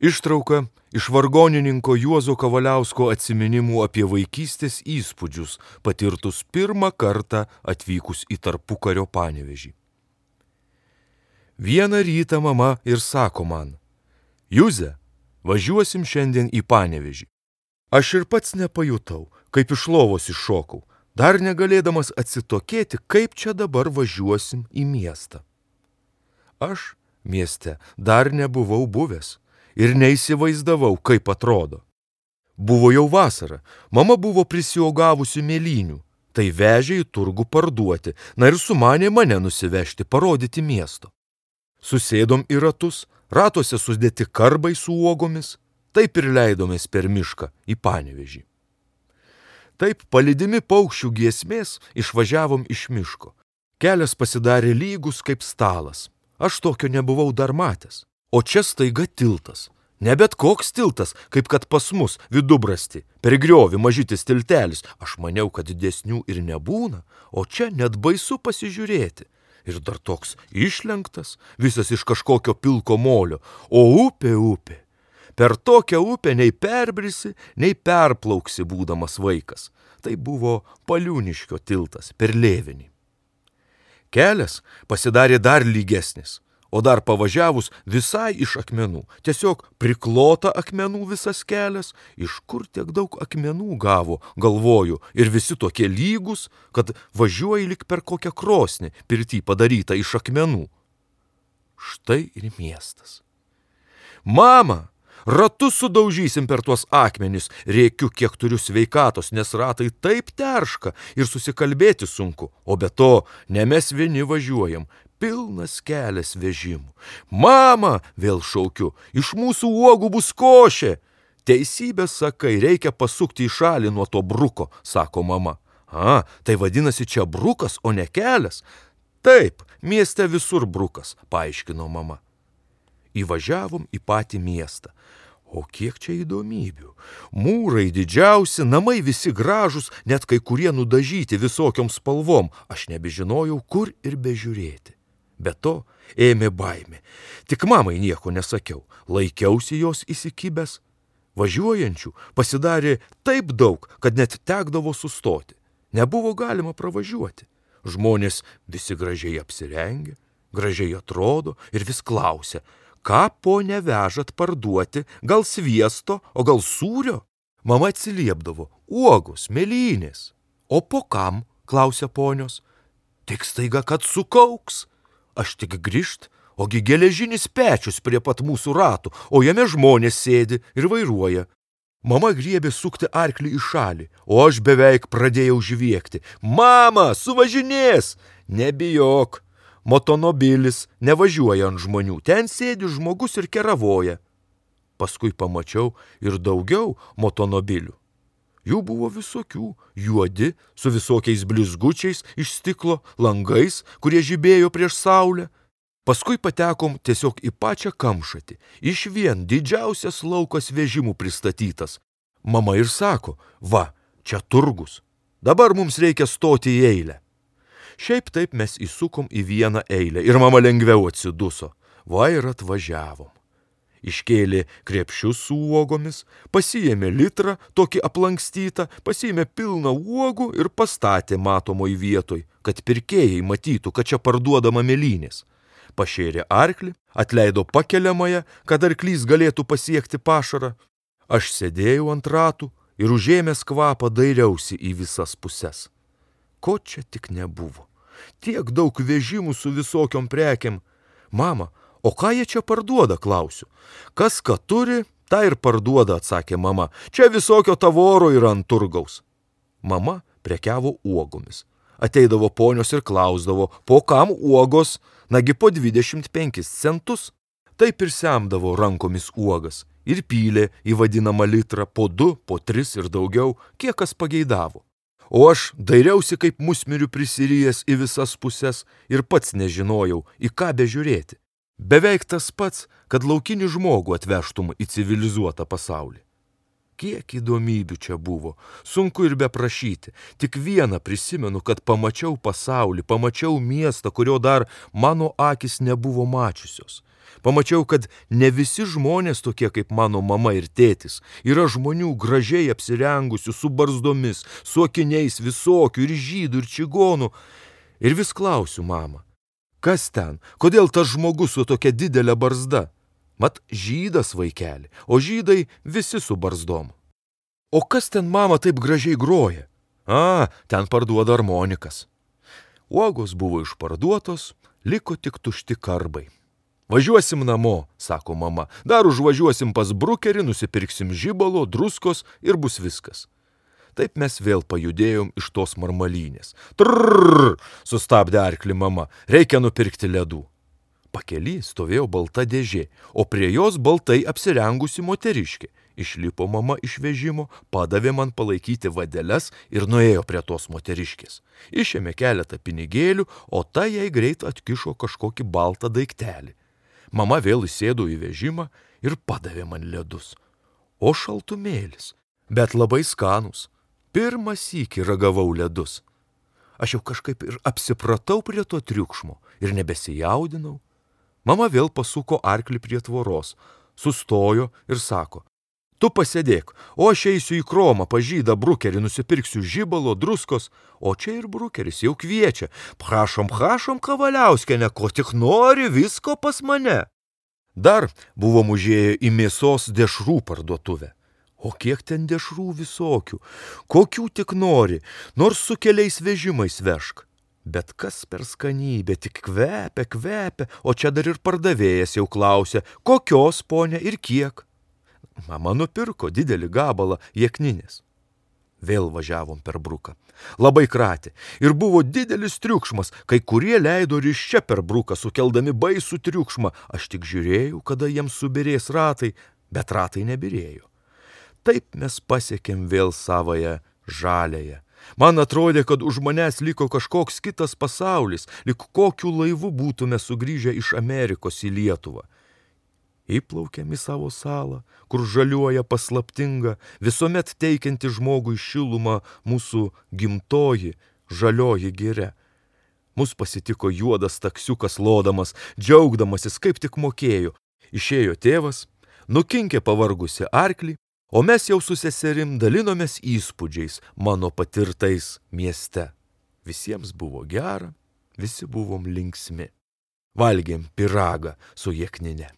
Ištrauka iš vargonininko Juozo Kavaliausko atsiminimų apie vaikystės įspūdžius, patirtus pirmą kartą atvykus į tarpukario Panevėžį. Vieną rytą mama ir sako man: Juze, važiuosim šiandien į Panevėžį. Aš ir pats nepajutau, kaip iš lovos iššokau, dar negalėdamas atsitokėti, kaip čia dabar važiuosim į miestą. Aš mieste dar nebuvau buvęs ir neįsivaizdavau, kaip atrodo. Buvo jau vasara, mama buvo prisiuogavusi mėlynių, tai vežė į turgų parduoti, na ir sumanė mane nusivežti, parodyti miesto. Susėdom į ratus, ratuose sudėti karbai su uogomis, taip ir leidomės per mišką į Panevėžį. Taip, palydimi paukščių giesmės, išvažiavom iš miško. Kelias pasidarė lygus kaip stalas. Aš tokio nebuvau dar matęs. O čia staiga tiltas. Ne bet koks tiltas, kaip kad pas mus Vidubrasti. Per griovį mažytis tiltelis. Aš maniau, kad didesnių ir nebūna, o čia net baisu pasižiūrėti. Ir dar toks išlenktas, visas iš kažkokio pilko molio. O upė. Per tokią upę nei perbrisi, nei perplauksi būdamas vaikas. Tai buvo Paliūniškio tiltas per Lėvenį. Kelias pasidarė dar lygesnis, o dar pavažiavus visai iš akmenų. Tiesiog priklota akmenų visas kelias. Iš kur tiek daug akmenų gavo, galvoju, ir visi tokie lygus, kad važiuoji lyg per kokią krosnį, pirty padarytą iš akmenų. Štai ir miestas. Mama! Ratus sudaužysim per tuos akmenis, rėkiu, kiek turiu sveikatos, nes ratai taip terška ir susikalbėti sunku. O be to, ne mes vieni važiuojam, pilnas kelias vežimų. Mama, vėl šaukiu, iš mūsų uogų bus košė. Teisybę sakai, reikia pasukti į šalį nuo to bruko, sako mama. Tai vadinasi čia brukas, o ne kelias? Taip, mieste visur brukas, paaiškino mama. Įvažiavom į patį miestą. O kiek čia įdomybių. Mūrai didžiausi, namai visi gražus, net kai kurie nudažyti visokiom spalvom. Aš nebežinojau, kur ir bežiūrėti. Be to ėmė baimė. Tik mamai nieko nesakiau. Laikiausi jos įsikibęs. Važiuojančių pasidarė taip daug, kad net tekdavo sustoti. Nebuvo galima pravažiuoti. Žmonės visi gražiai apsirengę, gražiai atrodo ir vis klausia: ką, ponia, vežat parduoti, gal sviesto, o gal sūrio? Mama atsiliepdavo: uogos, mėlynės. O po kam, klausia ponios. Tik staiga, kad sukauks. Aš tik grįžt, ogi geležinis pečius prie pat mūsų ratų, o jame žmonės sėdi ir vairuoja. Mama griebė sukti arklį į šalį, o aš beveik pradėjau žviegti. Mama, suvažinės! Nebijok. Motonobilis nevažiuoja ant žmonių, ten sėdi žmogus ir keravoja. Paskui pamačiau ir daugiau motonobilių. Jų buvo visokių, juodi, su visokiais blizgučiais iš stiklo, langais, kurie žibėjo prieš saulę. Paskui patekom tiesiog į pačią kamšatį, išvien didžiausias laukas vežimų pristatytas. Mama ir sako: va, čia turgus, dabar mums reikia stoti į eilę. Šiaip taip mes įsukom į vieną eilę ir mama lengviau atsiduso. Va ir atvažiavom. Iškėlė krepšius su uogomis, pasiėmė litrą, tokį aplankstytą, pasiėmė pilną uogų ir pastatė matomoj vietoj, kad pirkėjai matytų, kad čia parduodama mėlynės. Pašėrė arklį, atleido pakeliamąją, kad arklys galėtų pasiekti pašarą. Aš sėdėjau ant ratų ir užėmęs kvapą dairiausi į visas puses. Ko čia tik nebuvo. Tiek daug vežimų su visokiom prekėm. Mama, o ką jie čia parduoda, klausiu. Kas ką turi, tą ir parduoda, atsakė mama. Čia visokio tavoro yra ant turgaus. Mama prekiavo uogomis. Ateidavo ponios ir klausdavo, po kam uogos, nagi po 25 centus. Taip ir semdavo rankomis uogas ir pylė į vadinamą litrą po 2, po 3 ir daugiau, kiek kas pageidavo. O aš dairiausi kaip musmirių prisirijęs į visas puses ir pats nežinojau, į ką bežiūrėti. Beveik tas pats, kad laukinį žmogų atvežtum į civilizuotą pasaulį. Kiek įdomybių čia buvo, sunku ir beprašyti. Tik vieną prisimenu, kad pamačiau pasaulį, pamačiau miestą, kurio dar mano akis nebuvo mačiusios. Pamačiau, kad ne visi žmonės tokie kaip mano mama ir tėtis. Yra žmonių gražiai apsirengusių, su barzdomis, su akiniais visokių, ir žydų, ir čigonų. Ir vis klausiu mamą, kas ten, kodėl tas žmogus su tokia didelė barzda? Mat žydas, vaikeli, o žydai visi su barzdom. O kas ten, mama, taip gražiai groja? Ten parduoda armonikas. Uogos buvo išparduotos, liko tik tušti karbai. Važiuosim namo, sako mama, dar užvažiuosim pas brukerį, nusipirksim žibalo, druskos ir bus viskas. Taip mes vėl pajudėjom iš tos marmalynės. Trrrr, sustabdė arklį mama, reikia nupirkti ledų. Pakely stovėjo balta dėžė, o prie jos baltai apsirengusi moteriškė. Išlipo mama iš vežimo, padavė man palaikyti vadeles ir nuėjo prie tos moteriškės. Išėmė keletą pinigėlių, o ta jai greit atkišo kažkokį baltą daiktelį. Mama vėl įsėdo į vežimą ir padavė man ledus. O šaltumėlis, bet labai skanus. Pirmą sykį ragavau ledus. Aš jau kažkaip ir apsipratau prie to triukšmo ir nebesijaudinau. Mama vėl pasuko arklį prie tvoros, sustojo ir sako, tu pasėdėk, o aš eisiu į kromą pas žydą brukerį, nusipirksiu žibalo, druskos, o čia ir brukeris jau kviečia. Prašom, Kavaliauskiene, ko tik nori, visko pas mane. Dar buvom užėję į mėsos dešrų parduotuvę. O kiek ten dešrų visokių, kokių tik nori, nors su keliais vežimais vežk. Bet kas per skanybė, tik kvepia, o čia dar ir pardavėjas jau klausia, kokios, ponia, ir kiek. Mama nupirko didelį gabalą jekninės. Vėl važiavom per bruką. Labai kratė ir buvo didelis triukšmas, kai kurie leido ryščia per bruką, sukeldami baisų triukšmą. Aš tik žiūrėjau, kada jiems subirės ratai, bet ratai nebirėjo. Taip mes pasiekėm vėl savąją žaliąją. Man atrodė, kad už manęs liko kažkoks kitas pasaulis, lyg kokiu laivu būtume sugrįžę iš Amerikos į Lietuvą. Įplaukėm į savo salą, kur žaliuoja paslaptinga, visuomet teikianti žmogui šilumą mūsų gimtoji, žalioji giria. Mus pasitiko juodas taksiukas lodamas, džiaugdamasis kaip tik mokėjo. Išėjo tėvas, nukinkė pavargusi arklį, o mes jau su seserim dalinomės įspūdžiais mano patirtais mieste. Visiems buvo gera, visi buvom linksmi. Valgėm pyragą su jeknine.